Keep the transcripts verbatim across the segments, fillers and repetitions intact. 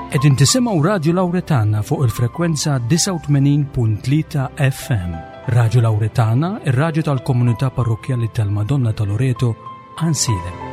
Qegħdin tisimgħu Radju Lawretana fuq il-frekwenza disgħa u tmenin punt tlieta F M. Radju Lawretana, ir-radju tal-komunità parrokkjali tal-Madonna ta' Loreto, Għajnsielem.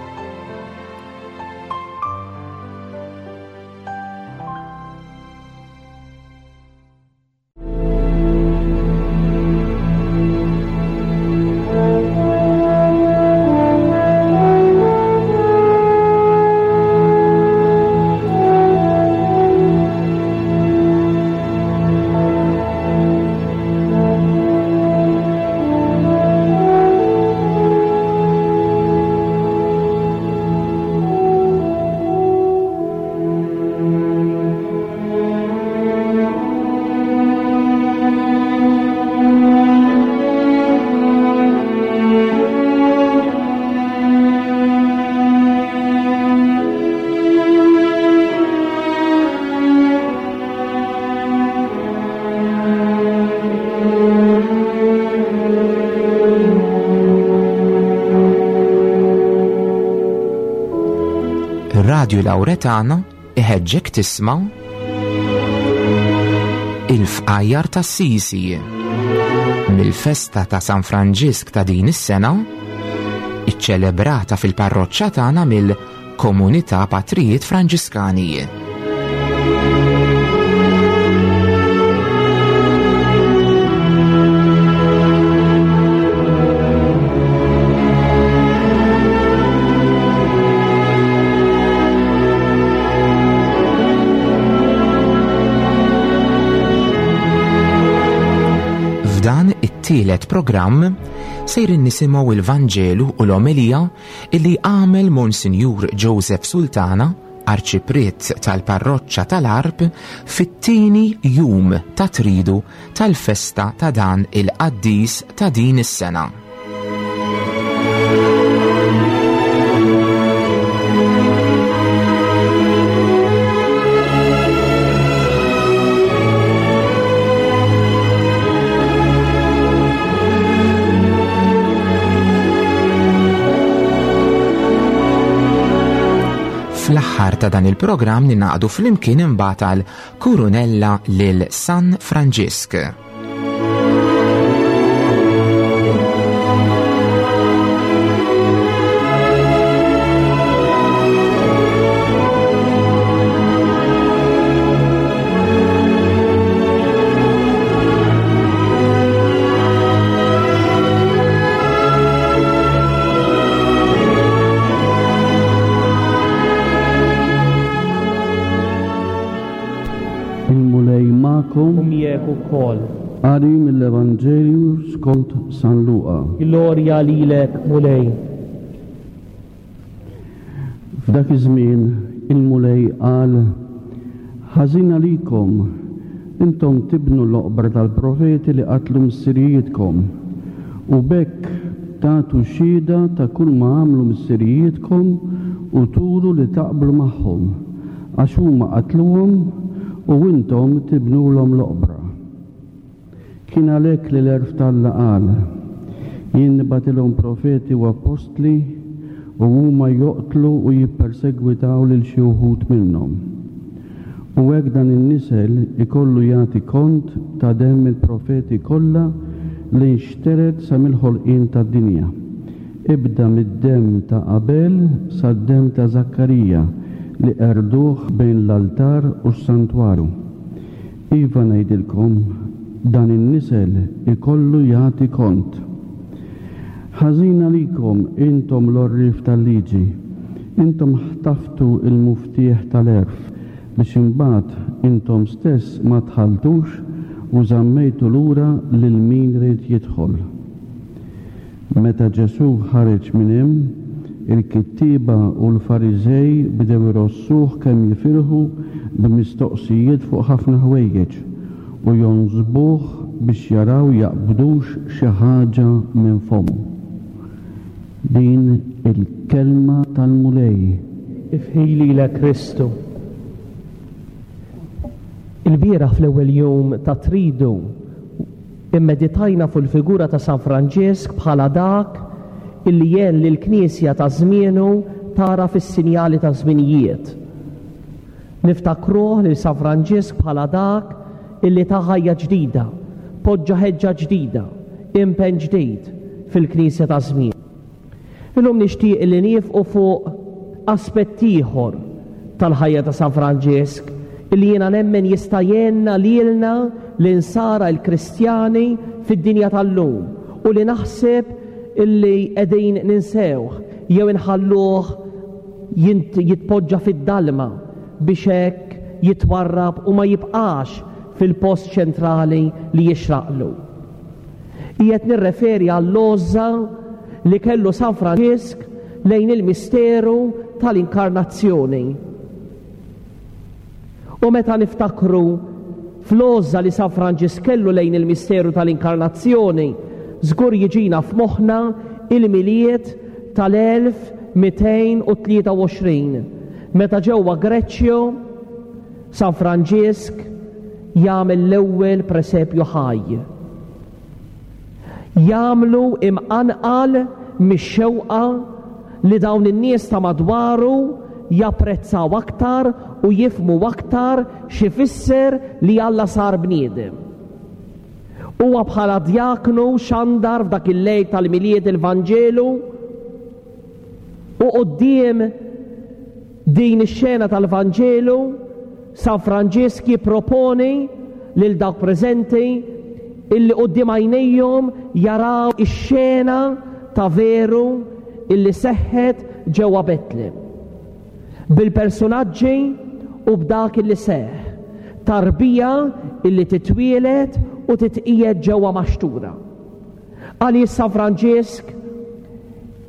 Radju Lawretana iħeġġek tisma' il-fqajjar tas-Sisi mill-festa ta' San Franġisk ta' din is-sena, iċċelebrata fil-parroċċa tagħna mill-Komunità Patrijiet Franġiskani. F'dan it-tielet programm sejrin nisimgħu il-Vanġelu u l-omelija illi għamel Monsinjur Joseph Sultana, arċipriet tal-parroċċa tal-Għarb, fit-tieni jum ta' tridu tal-festa ta' dan il-qaddis ta' din is-sena. Fl-aħħar ta' dan il-programm ninaqdu flimkien imbagħad għal Kurunella lil San Franġisk. Ukoll. Qari mill-Evanġelju skont San Luqa. Glorja lilek, Mulej. F'dak iż-żmien il-Mulej qal: Ħażin għalikom, intom tibnu l-oqbra tal-profeti li qatlu missirijietkom, u b'hekk tagħtu xhieda ta' kull ma għamlu missirijietkom u turu li taqblu magħhom, għax huma qatluhom u intom tibnulhom l-oqbra. Kien għalhekk li l-għerf t'Alla qal: Jien nibgħatilhom profeti u apostli, u huma joqtlu u jippersegwitaw lil xi wħud minnhom. U hekk dan in-nisel ikollu jagħti kont ta' demm il-profeti kollha li nxteret sa mill-ħolqien tad-dinja. Ibda mid-demm ta' Abel sad-demm ta' Zakkarija li qerduh bejn l-altar u s-santwarju. Iva ngħidilkom, dan in-nisel ikollu jagħti kont. Ħażin għalikom intom l-għorrief tal-liġi, intom ħtaftu il-muftieħ tal-għerf biex imbagħad intom stess ma tħalltux u żammejtu lura lil min ried jidħol. Meta Ġesù ħareġ minn hemm, il-kittieba u l-Fariżej bdew irossuh kemm jifirħu b'mistoqsijiet fuq ħafna ħwejjeġ u jonsbuh biex jaraw jaqbdux xi ħaġa minn fommu. Din il-kelma tal-Mulej. Ifħi lilek Kristu. Il-bieraħ fl-ewwel jum ta' tridu immeditajna fuq il-figura ta' San Franġisk bħala dak illi jgħin lill-Knisja ta' żmienu tara fis-sinjali ta' żminijiet. Niftakruh lil San Franġisk bħala dak illi ta ħajja ġdida, poġġa ħeġġa ġdida, impenn ġdid fil-Knisja ta' żmien. Illum nixtieq li niefqu fuq aspett ieħor tal-ħajja ta' San Franġisk illi jiena nemmen jista' jgħinna lilna l-insara l-Kristjani fid-dinja tal-lum u li naħseb illi qegħdin ninsewh jew inħalluh jitpoġġa fid-dalma biex hekk jitwarrab u ma jibqax fil-post ċentrali li jixraqlu. Qiegħed nirreferi għall-għożża li kellu San Franġisk lejn il-misteru tal-inkarnazzjoni. U meta niftakru fl-għożża li San Franġisk kellu lejn il-misteru tal-inkarnazzjoni, żgur jiġina f'moħħna il-Milied tal-elf mitejn u tlieta u għoxrin, meta ġewwa Greċjo San Franġisk jagħmel l-ewwel presepju ħaj. Jagħmlu imqanqal mix-xewqa li dawn in-nies ta' madwaru japprezzaw aktar u jifmu aktar x'ifisser li Alla sar bniedem. Huwa bħala djaknu xandar f'dak il-lejl tal-Milied il-Vanġelu u quddiem din ix-xena tal-Vanġelu San Franġisk jipproponi lil dawk preżenti illi quddiem għajnejhom jaraw ix-xena ta' veru illi seħħet ġewwa Betlem. Bil-personaġġi u b'dak illi seħħ, tarbija illi titwielet u titqiegħed ġewwa maxtura. Għaliex San Franġisk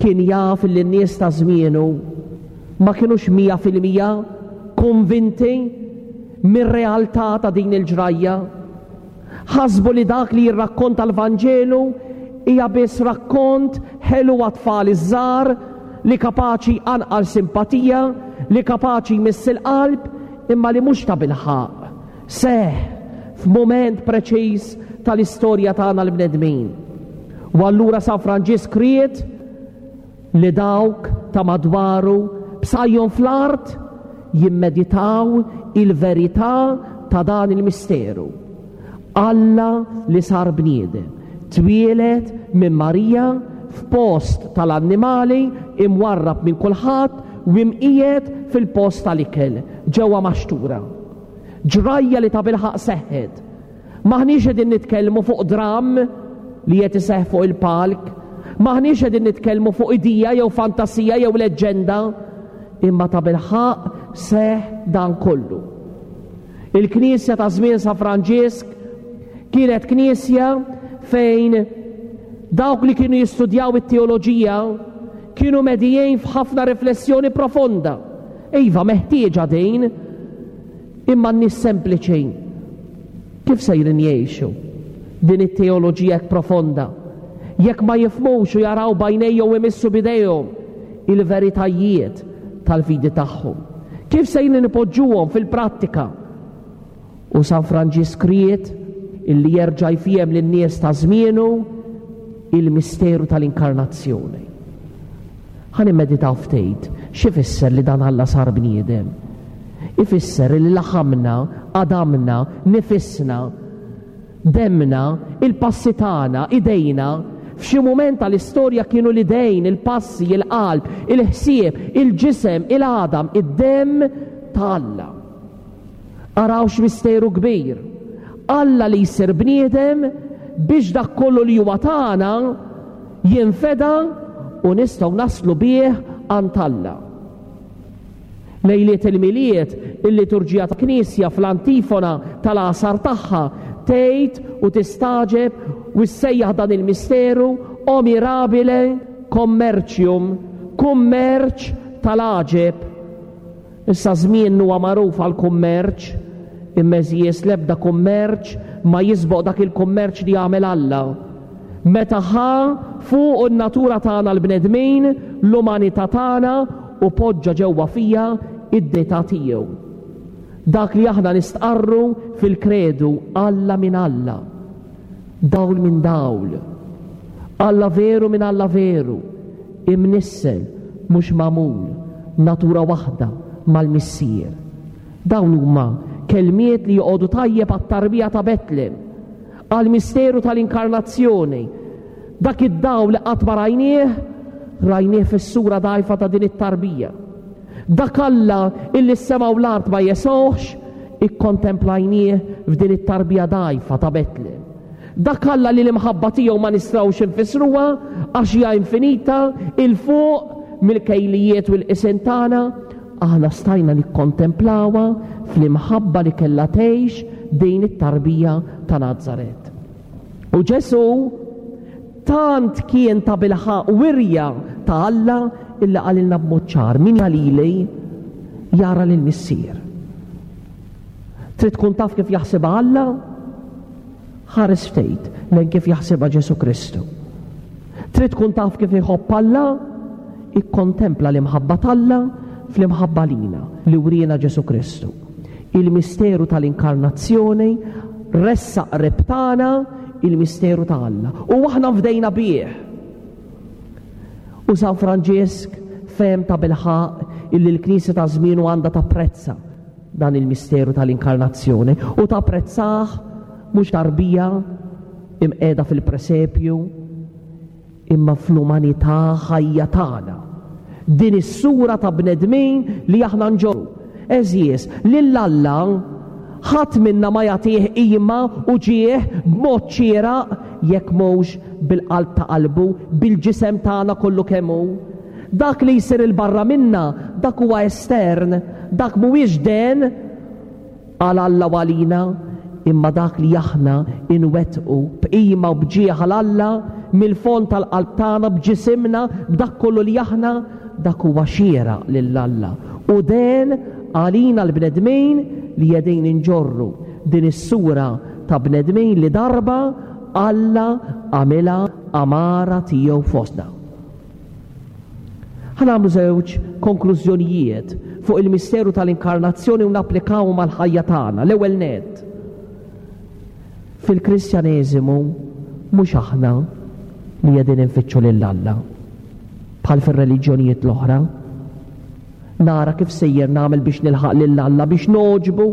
kien jaf illi n-nies ta' żmienu ma kinux mija fil-mija konvinti mir-realtà ta' din il-ġrajja. Ħasbu li dak li jirrakkonta l-Vanġelu hija biss rakkont ħelu għat-tfal iż-żgħar li kapaċi jqanqal simpatija, li kapaċi jmiss il-qalb, imma li mhux ta' bilħaq. Seħ f'mument preċiż tal-istorja tagħna l-bnedmin. U allura San Franġisk ried li dawk ta' madwaru b'sajjhom fl-art jimmeditaw il-verità ta' dan il-misteru. Alla li sar bniedem, twieled minn Marija f'post tal-annimali imwarrab minn kulħadd u imqiegħed fil-post tal-ikel ġewwa maxtura. Ġrajja li ta' bilħaq seħħet. Maħniex qegħdin nitkellmu fuq dram li qed iseħħ fuq il-palk, maħniex qegħdin nitkellmu fuq idija jew fantasija jew leġġenda, imma ta' bilħaq seħħ dan kollu. Il-Knisja ta' żmien San Franġisk kienet knisja fejn dawk li kienu jistudjaw it-teoloġija kienu medijin f'ħafna riflessjoni profonda. Iva, meħtieġa din, imma n-nies sempliċi kif sejrin jgħixu din it-teoloġija hekk profonda jekk ma jifhmux u jaraw b'għajnejhom u jmissu b'idejhom il-veritajiet tal-fidi tagħhom? Kif sejrin ipoġġuhom fil-prattika? U San Franġisk ried illi jerġa' jfiem lin-nies ta' żmienu il-misteru tal-inkarnazzjoni. Ħa nimmeditaw ftit x'ifisser li dan Alla sar bniedem. Ifisser li laħamna, għadamna, nifisna, demna, il-passi tagħna, idejna, f'xi mument tal-istorja kienu l-idejn, il-passi, il-qalb, il-ħsieb, il-ġisem, il-għadam, id-demm ta' Alla. Araw x'misteru kbir. Alla li jsir bniedem biex dak kollu li huwa tagħna jinfeda u nistgħu naslu bih għand Alla. Lejliet il-Milied, il-liturġija ta' Knisja fl-antifona tal-għasar tagħha tgħid u tistaġeb u ssejjaħ dan il-misteru o mirabile commercium, kummerċ tal-għaġeb. Issa żmien huwa magħruf għall-kummerċ, imma eżies l-ebda kummerċ ma jisboq dak il-kummerċ li jagħmel Alla. Meta ħa fuq in-natura tagħna l-bnedmin, l-umanità tagħna u poġġa ġewwa fija id-dita tiegħu. Dak li aħna nistqarru fil-kredu, Alla minn Alla, dawl minn dawl, Alla veru minn Alla veru, imnissel mhux magħmul, natura waħda mal-Missier. Dawn huma kelmiet li joqogħdu tajjeb għat-tarbija ta' Betlem, għall-misteru tal-inkarnazzjoni. Dak id-dawl li qatt ma rajnieh, rajnieh fis-sura dgħajfa ta' din it-tarbija. Dak Alla illi s-sema u l-art ma jesgħuhx, ikkontemplajnieh f'din it-tarbija dgħajfa ta' Betlem. Dak Alla li l-imħabba tiegħu ma nistgħux infissruha għax hija infinita 'il fuq mill-kejlijiet u l-qisien tagħna, aħna stajna nikkontemplawha fl-imħabba li kellha tgħix din it-tarbija ta' Nazaret. U Ġesù tant kien ta' bilħaq wirja ta' Alla illi qalilna b'mod ċar, min jara lili jara lill-Missier. Trid tkun taf kif jaħsibha Alla? Ħares ftit lejn kif jaħsibha Ġesù Kristu. Trid tkun taf kif iħobb Alla? Ikkontempla l-imħabba t'Alla fl-imħabba lina li wriena Ġesù Kristu. Il-misteru tal-inkarnazzjoni ressaq qrib tagħna il-misteru ta' Alla. U aħna fdejna bih. U San Franġisk fehem ta' bilħaq illi l-Knisja ta' żmienu għandha tapprezza dan il-misteru tal-inkarnazzjoni u tapprezzah mhux tarbija imqiegħda fil-presepju imma fl-umanità ħajja tagħna. Din is-sura ta' bnedmin li aħna nġorru. Għeżież, lil Alla ħadd minna ma jagħtih qima u ġieħ b'mod xieraq jekk mhux bil-qalb ta' qalbu, bil-ġisem tagħna kollu kemm hu. Dak li jsir il-barra minna, dak huwa estern, dak mhuwiex den għal Alla u għalina, imma dak li aħna inwettqu b'qima u b'ġieħ għal Alla mill-fond tal-qalb tagħna, b'ġisimna, b'dak kollu li aħna, dak huwa xieraq lil Alla. U den għalina l-bnedmin li qegħdin inġorru din is-sura ta' bnedmin li darba Alla għamilha għamara tiegħu fostna. Ħa nagħmlu żewġ konklużjonijiet fuq il-misteru tal-inkarnazzjoni u napplikaw mal-ħajja tagħna. L-ewwel nett, fil-Kristjaneżimu mhux aħna li qegħdin infittxu lil Alla bħal fir-reliġjonijiet l-oħra. Nara kif sejjer nagħmel biex nilħaq lil Alla, biex nogħġbu,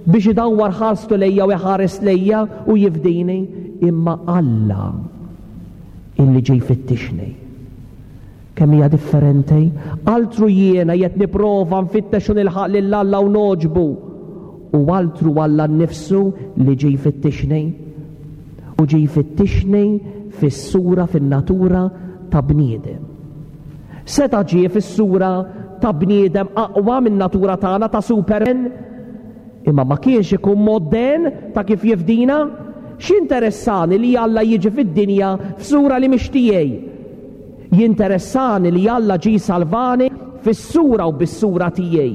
biex idawwar ħarstu lejja u jħares lejja u jifdini, imma Alla illi ġej fittixni. Kemm hija differenti? Altru jiena qed nipprova nfittex u nilħaq lil Alla u nogħġbu, u altru Alla nnifsu li ġej fittixni. U ġej fittixni fis-sura, fin-natura ta' bniedem. Seta' ġie fis-sura ta' bniedem aqwa minn natura tagħna ta' Superman, imma ma kienx ikun mod den ta' kif jifdina. X'interessani li Alla jiġi fid-dinja f'sura li mhix tiegħi? Jinteressani li Alla ġie salvani fis-sura u bis-sura tiegħi,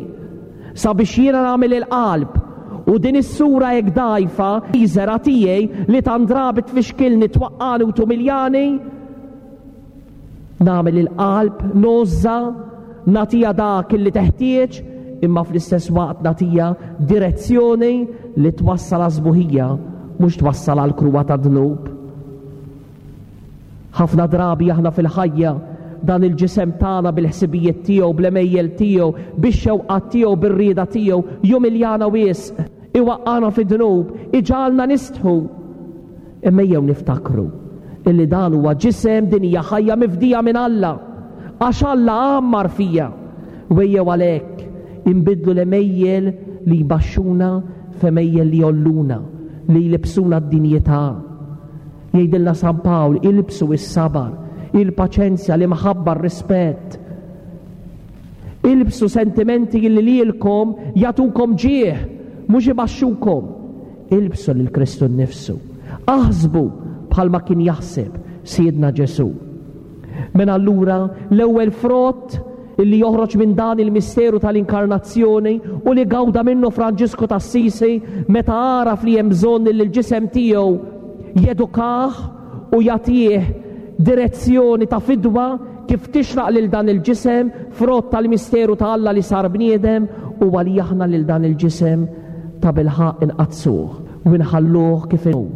sabiex jiena nagħmel il-qalb u din is-sura hekk dgħajfa miżera tiegħi li tant drabi tfixkilni, twaqqani u tumiljani, nagħmel il-qalb, nożża, nagħtiha dak li teħtieġ, imma fl-istess waqt nagħtiha direzzjoni li twassal għas-sbuħija, mhux twassal għal kruwa ta' dnub. Ħafna drabi aħna fil-ħajja dan il-ġisem tagħna bil-ħsibijiet tiegħu, bl-għemejjel tiegħu, bix-xewqat tiegħu, bir-rieda tiegħu, jumiljana wisq, iwaqqana fid-dnub, iġagħalna nistħu. Imma ejjew niftakru illi dan huwa ġisem, din hija ħajja mifdija minn Alla, għax Alla għammar fija. U ejjew għalhekk inbidlu l-għemejjel li jbaxxuna f'għemejjel li jgħolluna, li jlibsuna d-dinjità. Jgħidilna San Pawl, ilbsu s-sabar, il-paċenzja, l-imħabba, r-rispett. Ilbsu sentimenti li lilkom jagħtukom ġieħ, mhux ibaxxukom. Ilbsu lil Kristu nnifsu. Aħsbu bħalma kien jaħseb Sidna Ġesù. Mela allura l-ewwel frott illi joħroġ minn dan il-misteru tal-inkarnazzjoni u li gawda minnu Franġisku t'Assisi meta għaraf li hemm bżonn li l-ġisem tiegħu jedukah u jagħtih direzzjoni ta' fidwa kif tixraq lil dan il-ġisem, frott tal-misteru ta' Alla li sar bniedem, u għalli aħna lil dan il-ġisem ta' bilħaq inqaddsuh u nħalluh kif inhu,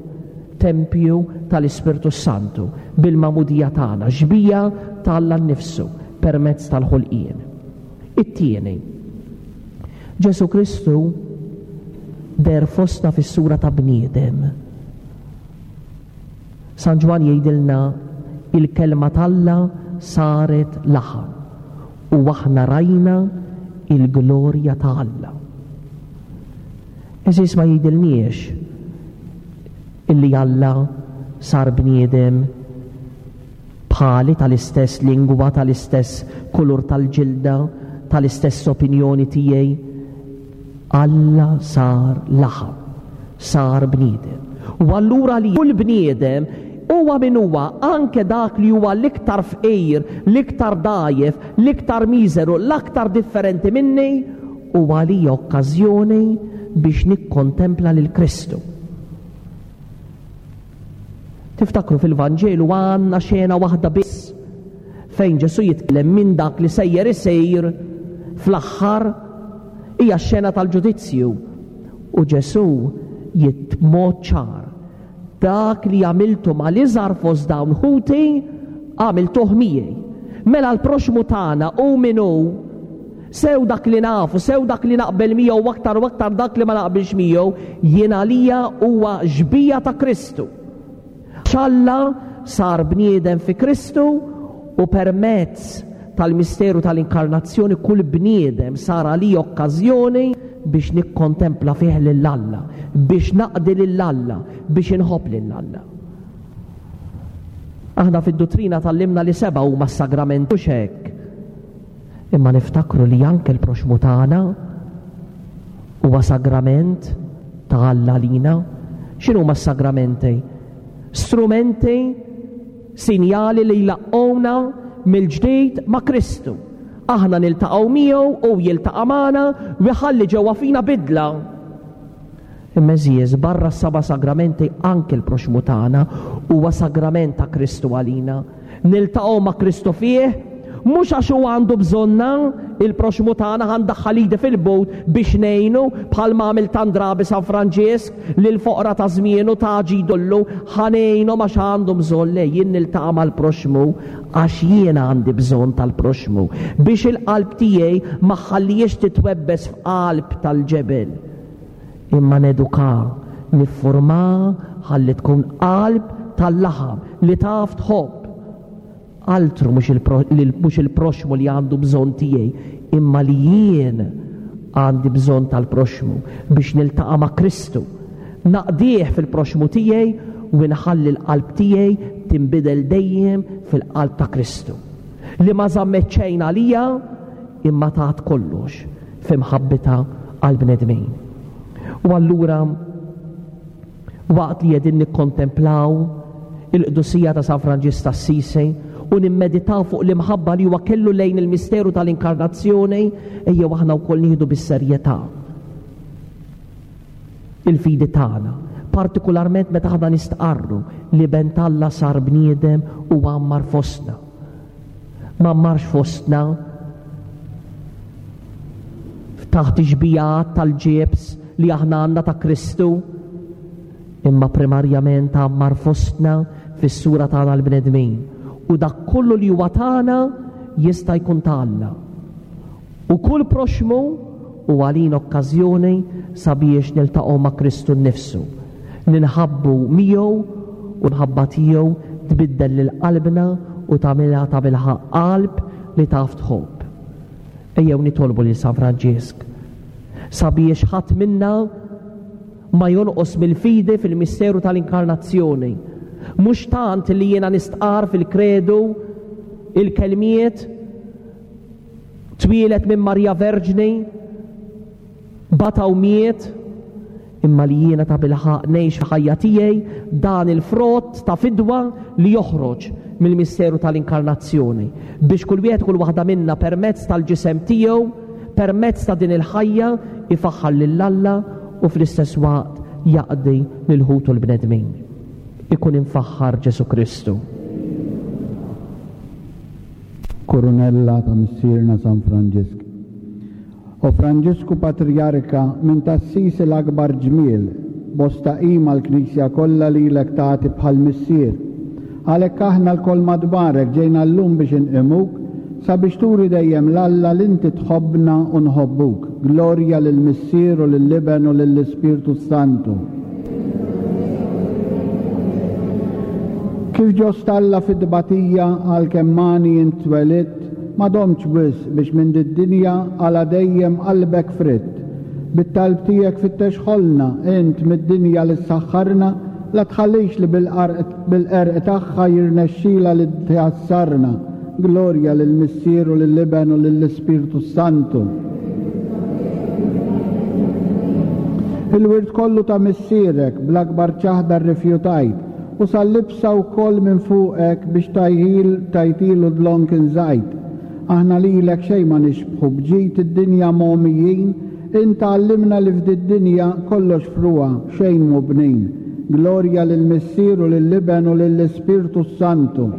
tempju tal-Ispirtu Santu bil-magħmudija tagħna, xbija ta' Alla nnifsu permezz tal-ħolqien. It-tieni, Ġesù Kristu deher fostna fis-sura ta' bniedem. San Ġwann jgħidilna il-kelma t'Alla saret laħam u aħna rajna il-glorja ta' Alla. Għeżież, ma jgħidilniex illi Alla sar bniedem bħali, tal-istess lingwa, tal-istess kulur tal-ġilda, tal-istess opinjoni tiegħi. Alla sar laħam, sar bniedem. U allura li kull bniedem huwa min huwa, anke dak li huwa l-iktar fqir, l-iktar dgħajjef, l-iktar miżeru, l-aktar differenti minni, huwa li okkażjoni biex nikkontempla lil Kristu. Tiftakru fil-Vanġelu għandna xena waħda biss fejn Ġesù jitkellem minn dak li sejjer isir fl-aħħar, hija x-xena tal-ġudizzju. U Ġesù jitmod ċar, dak li għamiltu mal-iżgħar fost dawn ħuti għamiltuh miegħi. Mela l-proxmu tagħna u min hu, sew dak li nafu, sew dak li naqbel miegħu, u aktar u aktar dak li ma naqbilx miegħu, jien għalija huwa xbieha ta' Kristu. Alla sar bniedem fi Kristu u permezz tal-misteru tal-inkarnazzjoni kull bniedem sar għalija okkażjoni biex nikkontempla fih lil Alla, biex naqdi lil Alla, biex inħobb lil Alla. Aħna fid-duttrina tgħallimna li seba' huma s-sagramenti, mhux hekk. Imma niftakru li anke l-proxmu tagħna huwa sagrament ta' Alla lina. X'inhuma s-sagramenti? Strumenti, sinjali li jlaqqgħuna mill-ġdid ma' Kristu. Aħna niltaqgħu miegħu u jiltaqa' magħna u jħalli ġewwa fina bidla. Imma għeżież, barra s-seba' sagramenti anke l-proxmu tagħna huwa sagrament ta' Kristu għalina. Niltaqgħu ma' Kristu fih, mhux għax huwa għandu bżonna il-proxmu tagħna ħa ndaħħal idi fil-but biex ngħinu bħalma għamel tant drabi San Franġisk lil foqra ta' żmienu ta' ġidullu, ħa ngħinu għax għandu bżonn. Le, jien niltaqa' mal-proxmu għax jiena għandi bżonn tal-proxmu biex il-qalb tiegħi ma ħallihiex titwebbes f'qalb tal-ġebel, imma neduka, niffurma ħalli tkun qalb tal-laħam li taf tħobb. Altru mhux il-pro-, li mhux il-proxmu li għandu bżonn tiegħi, imma li jien għandi bżonn tal-proxmu biex niltaqa' ma' Kristu. Naqdih fil-proxmu tiegħi u nħalli l-qalb tiegħi tinbidel dejjem fil-qalb ta' Kristu. Li ma żammet xejn għalija imma tat kollox f'imħabbitha għall-bnedmin. U allura waqt li qegħdin nikkontemplaw il-qdusija ta' San Franġisk ta' Assisi u nimmeditaw fuq l-imħabba li huwa kellu lejn il-misteru tal-inkarnazzjoni, ejjew aħna wkoll nieħdu bis-serjetà il-fidi tagħna, partikolarment meta aħna nistqarru li ben t'Alla sar bniedem u għammar fostna. Ma għammarx fostna taħt ix-xbijat tal-ġibs li aħna għandna ta' Kristu, imma primarjament għammar fostna fis-sura tagħna l-bnedmin. U dak kollu li huwa tagħna jista' jkun ta' Alla. U kull proxmu u għalina okkażjoni sabiex niltaqgħu ma' Kristu nnifsu. Ninħabbu miegħu u l-ħabba tiegħu tbiddel lil qalbna u tagħmilha ta' bilħaqq qalb li taf tħobb. Ejjew nitolbu lil San Franġisk sabiex ħadd minna ma jonqos mill-fidi fil-misteru tal-inkarnazzjoni. Mhux tant li jiena nistqar fil-kredu il-kelmiet twieled minn Marija Verġni, bata u miet, imma li jiena ta' bilħaqq ngħix f'ħajja tiegħi dan il-frott ta' fidwa li joħroġ mill-misteru tal-inkarnazzjoni, biex kull wieħed kull waħda minna permezz tal-ġisem tiegħu, permezz ta' din il-ħajja, ifaħħar lil Alla u fl-istess waqt jaqdi lil ħutu l-bnedmin. Ikun imfaħħar Ġesù Kristu. Kurunella ta' Missierna San Franġisk. O Franġisku Patrijarka, minn t'Assisi l-akbar ġmiel, bosta qima l-Knisja kollha lilek tagħti bħal missier. Għalhekk aħna lkoll madwarek ġejna llum biex inqimuk sabiex turi dejjem 'l Alla li inti tħobbna u nħobbuk. Glorja lill-Missier u lill-Iben u lill-Ispirtu Santu. Kif ġo stalla fid-tbatija għalkemm għani int twelidt, ma domtx wisq biex minn did-dinja għala dejjem qalbek fritt. Bit-talb tiegħek fittex ħolna, int mid-dinja li ssaħħarna, la tħallix li bil-qerq tagħha jirnexxila li tħassarna. Glorja lill-Missier u lill-Iben u lill-Ispirtu Santu. Il-wirt kollu ta' missierek bl-akbar ċaħda rrifjutajt u sal-libsa wkoll minn fuqek biex tajħil tajtilu dlonk inżajt. Aħna lilek xejn ma nixbħu b'ġid id-dinja mogħmijin, int għallimna li f'did-dinja kollox frugħa xejn mhu bnin. Glorja lill-Missier u lill-Iben u lill-Ispirtu Santu.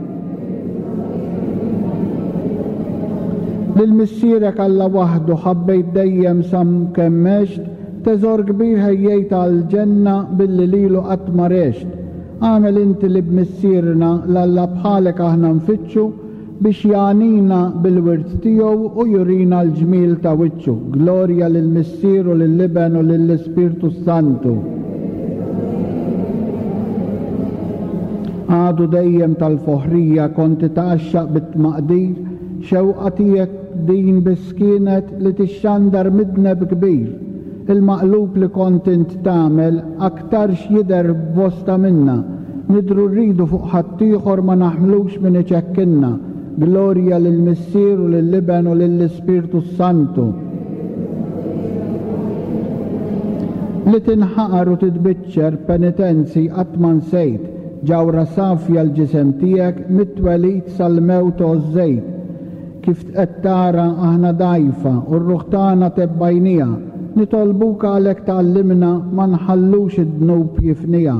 Lil missierek Alla waħdu ħabbejt dejjem sam kemm għext, teżor kbir ħejjejt għall-ġenna billi lilu qatt ma rext. Għamel inti li b'missierna l-Alla bħalek aħna nfittxu biex jagħnina bil-wirt tiegħu u jurina l-ġmiel ta' wiċċu. Glorja lill-Missier u lill-Iben u lill-Ispirtu Santu. Għadu dejjem tal-foħrija konti tgħaxxaq bit-tmaqdir, xewqa tiegħek din biss kienet li tixxandar midneb kbir. Il-maqlub li kont int tagħmel aktarx jidher b'bosta minna. Nidru rridu fuq ħaddieħor ma naħmlux min iċekkinna. Glorja lill-Missier u lill-Iben u lill-Ispirtu Santu. Li tinħaqar u titbiċċer penitenzi qatt ma nsejt, ġawra safja l-ġisem tiegħek mit-twelid sal-mewt għożżejt. Kif qed tara aħna dgħajfa u r-ruħ tagħna tebbajnija, nitolbuk għalhekk tgħallimna ma nħallux id-dnub jifnija.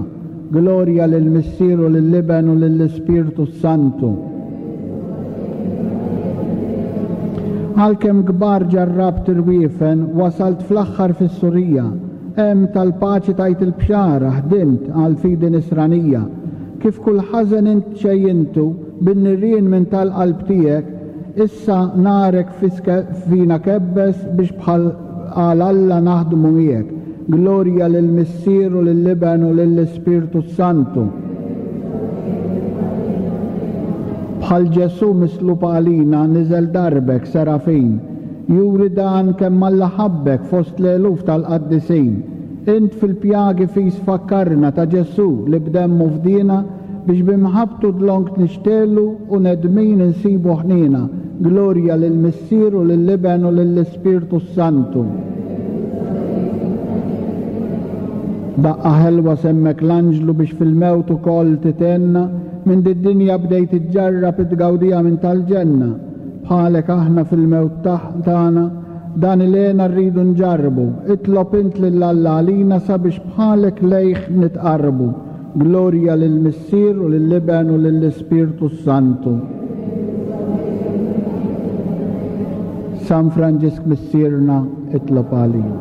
Glorja lill-Missier u lill-Iben u lill-Ispirtu Santu. Għalkemm kbar ġarrabt irwiefen, wasalt fl-aħħar fis-Surija. Hemm tal-paċi tajt il-bxara, ħdimt għal fidi nisranija. Kif kull ħażen int xejjintu bin-nirien minn tal-qalb tiegħek, issa narek fina kebbes biex bħal għal Alla naħdmu miegħek. Glorja lill-Missier u lill-Iben u lill-Ispirtu Santu. Bħal Ġesù mislub għalina niżel darbek serafin, juri dan kemm Alla ħabbek fost l-eluf tal-qaddisin. Int fil-pjagi fis fakkarna ta' Ġesù li b'demmu fdina biex b'imħabbtu dlonk nixtelu u nedmin insibu ħnina. Glorja lill-Missier u lill-Iben u lill-Ispirtu Santu. Daqqa ħelwa semmek l-anġlu biex fil-mewt ukoll titenna, minn did-dinja bdejt iġġarrab it-tgawdija minn tal-ġenna. Bħalek aħna fil-mewt tagħna, dan il-għena rridu nġarrbu. Itlob int lil Alla għalina sabiex bħalek lejh nitqarrbu. Glorja lill-Missier u lill-Iben u lill-Ispirtu Santu. San Franġisk Missierna, itlob għalina.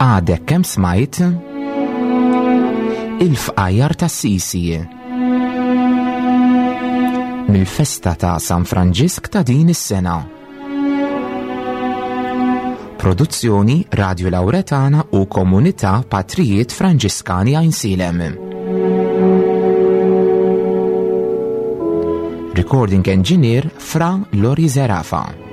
Għadek kemm smajt il-fqajjar tas-Sisi mill-festa ta' San Franġisk ta' din is-sena. Produzzjoni Radio Lauretana u Komunità Patrijiet Franġiskani Għajnsielem. Recording Engineer Fra Lori Zerafa.